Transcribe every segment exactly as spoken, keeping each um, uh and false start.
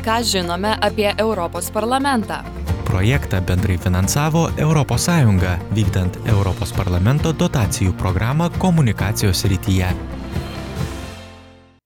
Ką žinome apie Europos parlamentą? Projektą bendrai finansavo Europos Sąjunga, vykdant Europos parlamento dotacijų programą komunikacijos srityje.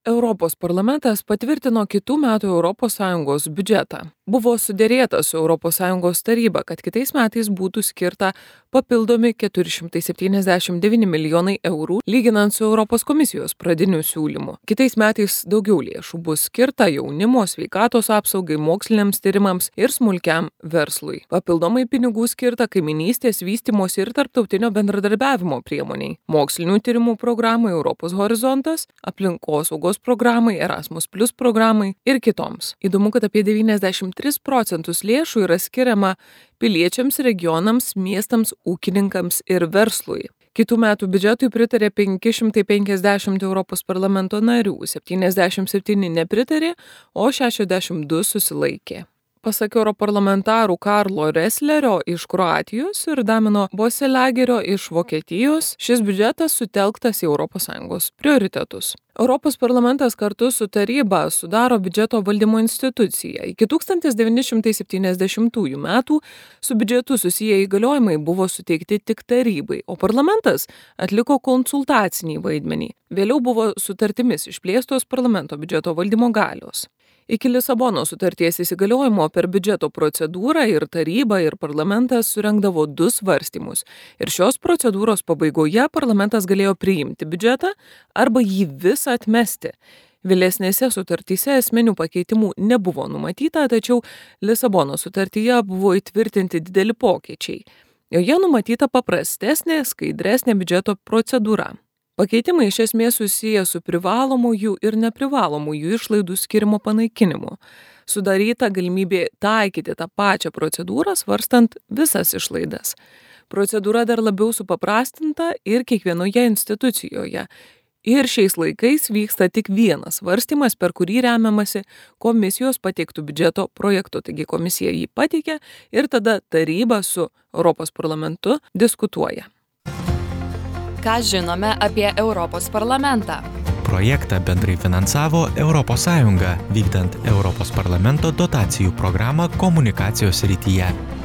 Europos parlamentas patvirtino kitų metų Europos Sąjungos biudžetą. Buvo suderėta su Europos Sąjungos taryba, kad kitais metais būtų skirta papildomi keturi šimtai septyniasdešimt devyni milijonai eurų, lyginant su Europos komisijos pradiniu siūlymu. Kitais metais daugiau lėšų bus skirta jaunimo, sveikatos apsaugai, moksliniams tyrimams ir smulkiam verslui. Papildomai pinigų skirta kaiminystės, vystymosi ir tarptautinio bendradarbiavimo priemoniai, mokslinių tyrimų programai Europos horizontas, aplinkosaugos programai, Erasmus plus programai ir kitoms. Įdomu, kad apie devyniasdešimt tris procentus lėšų yra skiriama piliečiams, regionams, miestams, ūkininkams ir verslui. Kitų metų biudžetui pritarė penki šimtai penkiasdešimt Europos parlamento narių, septyniasdešimt septyni nepritarė, o šešiasdešimt du susilaikė. Pasak europarlamentarų Karlo Reslerio iš Kroatijos ir Damino Boselagerio iš Vokietijos, šis biudžetas sutelktas į Europos Sąjungos prioritetus. Europos parlamentas kartu su taryba sudaro biudžeto valdymo instituciją. Iki tūkstantis devyni šimtai septyniasdešimtųjų metų su biudžetu susiję įgaliojimai buvo suteikti tik tarybai, o parlamentas atliko konsultacinį vaidmenį. Vėliau buvo sutartimis išplėstos parlamento biudžeto valdymo galios. Iki Lisabonos sutarties įsigaliojimo per biudžeto procedūrą ir taryba ir parlamentas surengdavo du svarstymus. Ir šios procedūros pabaigoje parlamentas galėjo priimti biudžetą arba jį visą atmesti. Vėlesnėse sutartyse esminių pakeitimų nebuvo numatyta, tačiau Lisabonos sutartyje buvo įtvirtinti dideli pokyčiai. Joje numatyta paprastesnė, skaidresnė biudžeto procedūra. Pakeitimai iš esmės susiję su privalomųjų ir neprivalomųjų išlaidų skirimo panaikinimu. Sudaryta galimybė taikyti tą pačią procedūrą, svarstant visas išlaidas. Procedūra dar labiau supaprastinta ir kiekvienoje institucijoje. Ir šiais laikais vyksta tik vienas svarstymas, per kurį remiamasi komisijos pateiktų biudžeto projektu. Taigi komisija jį pateikia ir tada taryba su Europos parlamentu diskutuoja. Ką žinome apie Europos parlamentą? Projektą bendrai finansavo Europos Sąjunga, vykdant Europos parlamento dotacijų programą komunikacijos srityje.